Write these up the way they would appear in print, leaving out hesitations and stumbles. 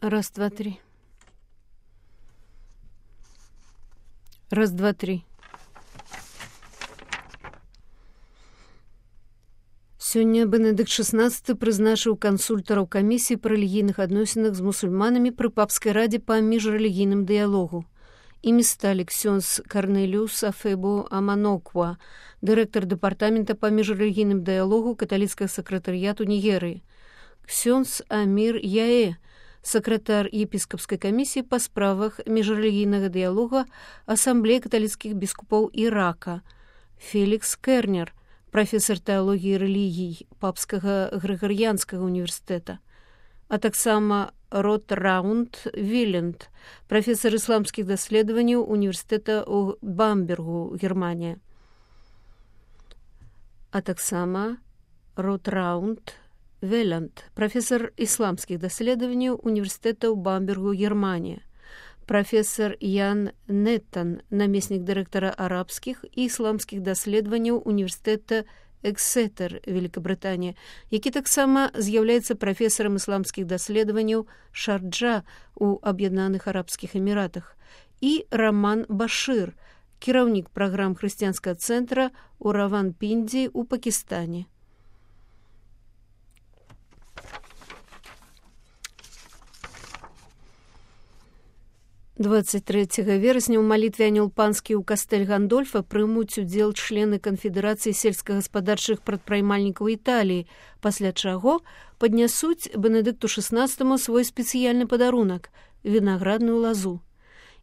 Раз, два, три. Раз, два, три. Сёння Бенедыкт XVI прызначыў кансультараў камісіі па рэлігійных адносінах з мусульманамі пры папскай радзе па міжрэлігійным дыялогу. Імі сталі ксёндз Карнеліус Афебу Аманоква, дырэктар дэпартамента па міжрэлігійным дыялогу каталіцкага сакратарыяту Нігерыі, ксёндз Амір Яэ, сакратар епіскапскай камісіі па справах міжрэлігійнага дыялога Асамблеі каталіцкіх біскупаў Ірака, Фелікс Кернер, прафесар тэалогіі рэлігій папскага грыгарыянскага універсітэта, а таксама Рот Раунд Віленд, прафесар ісламскіх даследаванняў універсітэта ў Бамбергу, Германія, а таксама Рот Раунд Веланд, прафесар ісламскіх даследаванняў універсітэта ў Бамбергу, Германія, прафесар Ян Неттан, намеснік дырэктара арабскіх і ісламскіх даследаванняў універсітэта Эксетер, Великабрытанія, які таксама з'яўляецца прафесарам ісламскіх даследаванняў Шарджа ў Аб'яднаных Арабскіх Эміратах, і Раман Башыр, кіраўнік праграм хрысціянскага цэнтра ў Раванпіндзі ў Пакістане. 23 верасня ў малітве Анёл Панскі ў кастэль Гандольфа прымуць удзел члены канфедэрацыі сельскагаспадарчых прадпрымальнікаў Італіі, пасля чаго паднясуць Бенедыкту XVI свой спецыяльны падарунак – вінаградную лазу.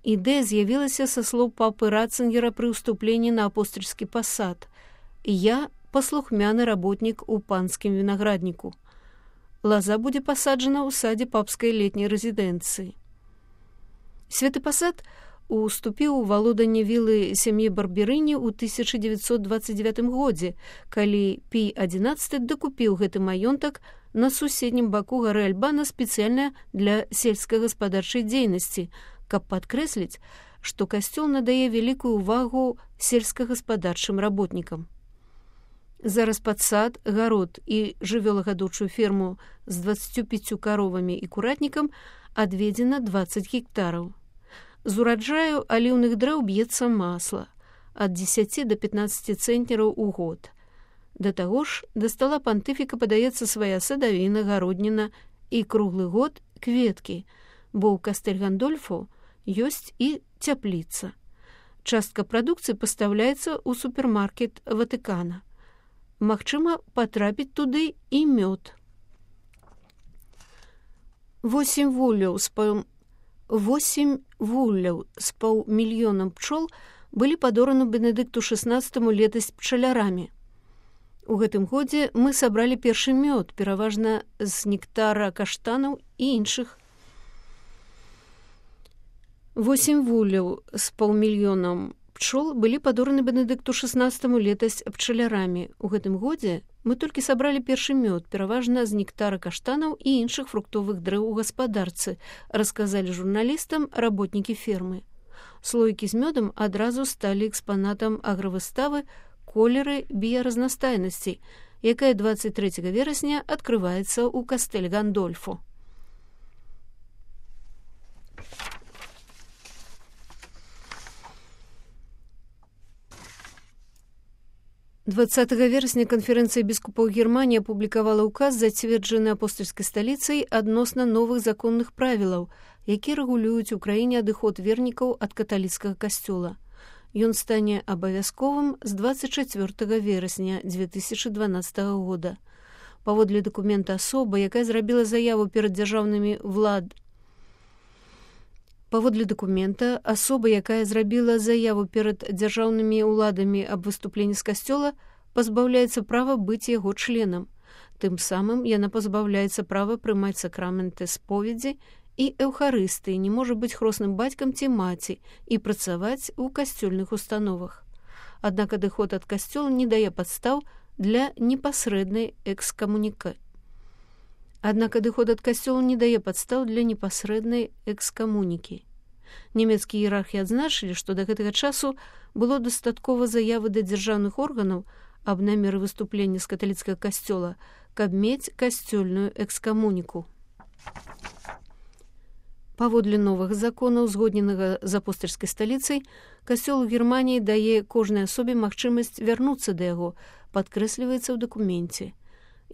Ідэя з'явілася са слоў папы Ратцынгера пры ўступленні на апостальскі пасад. «Я паслухмяны работнік у панскім вінаградніку». Лаза будзе пасаджана ў садзе папскай летняй рэзідэнцыі. Святы пасад уступіў у валоданне вілы сям'і Барберыні ў 1929 годзе, калі Пій XI дакупіў гэты маёнтак на суседнім баку гары Альбана спецыяльна для сельскагаспадарчай дзейнасці, каб падкрэсліць, што касцёл надае вялікую ўвагу сельскагаспадарчым работнікам. Зараз пад сад, гарод і жывёлагадоўчую ферму з 25 каровамі і куратнікам адведзена 20 гектараў. З ураджаю аліўных дрэў б'ецца масла ад 10 до 15 цэнтнераў у год. Да таго ж, да стала пантыфіка падаецца свая садавіна, гародніна і круглы год кветкі, бо ў кастэль Гандольфу ёсць і цяпліца. Частка прадукцыі пастаўляецца ў супермаркет Ватыкана. Магчыма, патрапіць туды і мёд. 8 вулляў з паўмільёнам пчол былі падораны Бенедыкту XVI летась пчалярамі. У гэтым годзе мы сабралі першы мёд, пераважна з нектара каштанаў і іншых. 8 вулляў з паўмільёнам пчол былі падораны Бенедыкту XVI летась пчалярамі. У гэтым годзе мы толькі сабралі першы мёд, пераважна з нектара каштанаў і іншых фруктовых дрэў у гаспадарцы, расказалі журналістам работнікі фермы. Слоікі з мёдам адразу сталі экспанатам агравыставы «Колеры біяразнастайнасці», якая 23 верасня адкрываецца ў кастэль Гандольфу. 20 верасня канферэнцыя біскупаў Германіі апублікавала ўказ, зацверджаны апостальскай сталіцай адносна новых законных правілаў, якія рэгулююць у краіне адыход вернікаў ад каталіцкага касцёла. Ён стане абавязковым з 24 верасня 2012 года. Паводле дакумента асоба, якая зрабіла заяву перад дзяржаўнымі Паводле дакумента, асоба, якая зрабіла заяву перад дзяржаўнымі ўладамі аб выступленні з касцёла, пазбаўляецца права быць яго членам. Тым самым яна пазбаўляецца права прымаць сакраменты споведзі і эўхарыстыі, не можа быць хросным бацькам ці маці і працаваць у касцёльных установах. Аднак адыход ад касцёла не дае падстаў для непасрэднай экскамунікі. Нямецкія іерархі адзначылі, што да гэтага часу было дастаткова заявы да дзяржаўных органаў аб намеры выступлення з каталіцкага касцёла, каб мець касцёльную экскамуніку. Паводле новага закона, узгодненага з апостальскай сталіцай, касцёл у Германіі дае кожнай асобе магчымасць вярнуцца да яго, падкрэсліваецца ў дакуменце.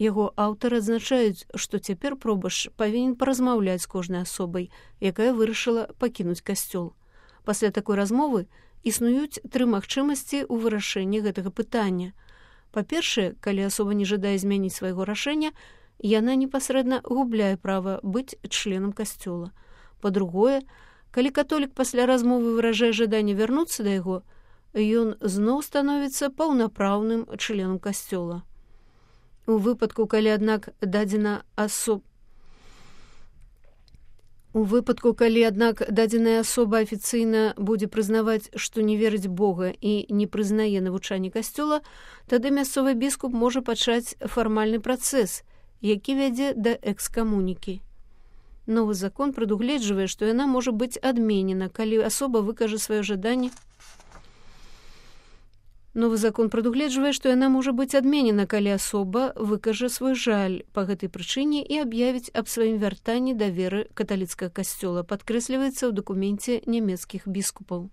Яго аўтары адзначаюць, што цяпер пробашч павінен паразмаўляць з кожнай асобай, якая вырашыла пакінуць касцёл. Пасля такой размовы існуюць 3 магчымасці ў вырашэнні гэтага пытання. Па-першае, калі асоба не жадае змяніць свайго рашэння, яна непасрэдна губляе права быць членам касцёла. Па-другое, калі католік пасля размовы выражае жаданне вярнуцца да яго, ён зноў становіцца паўнапраўным членам касцёла. У выпадку, калі аднак дадзеная асоба афіцыйна будзе прызнаваць, што не верыць Бога і не прызнае навучанне касцёла, тады мясцовы біскуп можа пачаць фармальны працэс, які вядзе да экскамунікі. Новы закон прадугледжвае, што яна можа быць адменена, калі асоба выкажа сваё жаданне. Новы закон прадугледжвае, што яна можа быць адменена, калі асоба выкажа свой жаль па гэтай прычыне і аб'явіць аб сваім вяртанні да веры каталіцкага касцёла, падкрэсліваецца ў дакуменце нямецкіх біскупаў.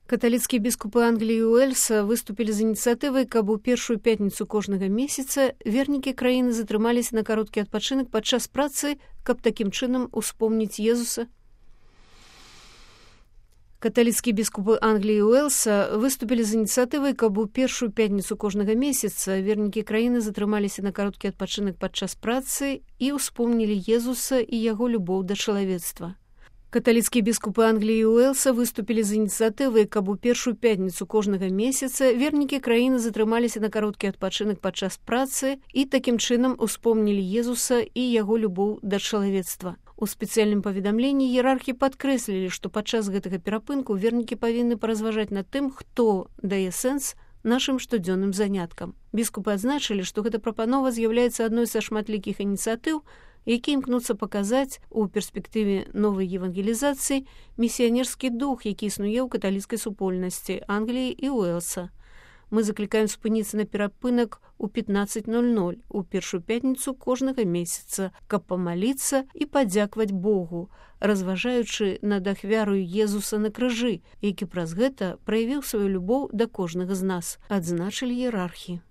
Каталіцкія біскупы Англіі і Уэльса выступілі з ініцыятывай, каб у першую пятніцу кожнага месяца вернікі краіны затрымаліся на кароткі адпачынак падчас працы, каб такім чынам успомніць Езуса. Каталіцкія біскупы Англіі і Уэльса выступілі з ініцыятывай, каб у першую пятніцу кожнага месяца вернікі краіны затрымаліся на кароткі адпачынак падчас працы і успомнілі Езуса і яго любоў да чалавецтва. Каталіцкія біскупы Англіі і Уэльса выступілі з ініцыятывай, каб у першую пятніцу кожнага месяца вернікі краіны затрымаліся на кароткі адпачынак падчас працы і такім чынам успомнілі Езуса і яго любоў да чалавецтва. У спецыяльным паведамленні іерархі падкрэслілі, што падчас гэтага перапынку вернікі павінны паразважаць над тым, хто дае сэнс нашым штодзённым заняткам. Біскупы адзначылі, што гэта прапанова з'яўляецца адной са шматлікіх ініцыятыў, які імкнуцца паказаць у перспектыве новай евангелізацыі місіянерскі дух, які існуе ў каталіцкай супольнасці Англіі і Уэльса. Мы заклікаем спыніцца на перапынак у 15:00 у першую пятніцу кожнага месяца, каб памаліцца і падзякаваць Богу, разважаючы над ахвярою Езуса на крыжы, які праз гэта праявіў сваю любоў да кожнага з нас, адзначылі іерархі.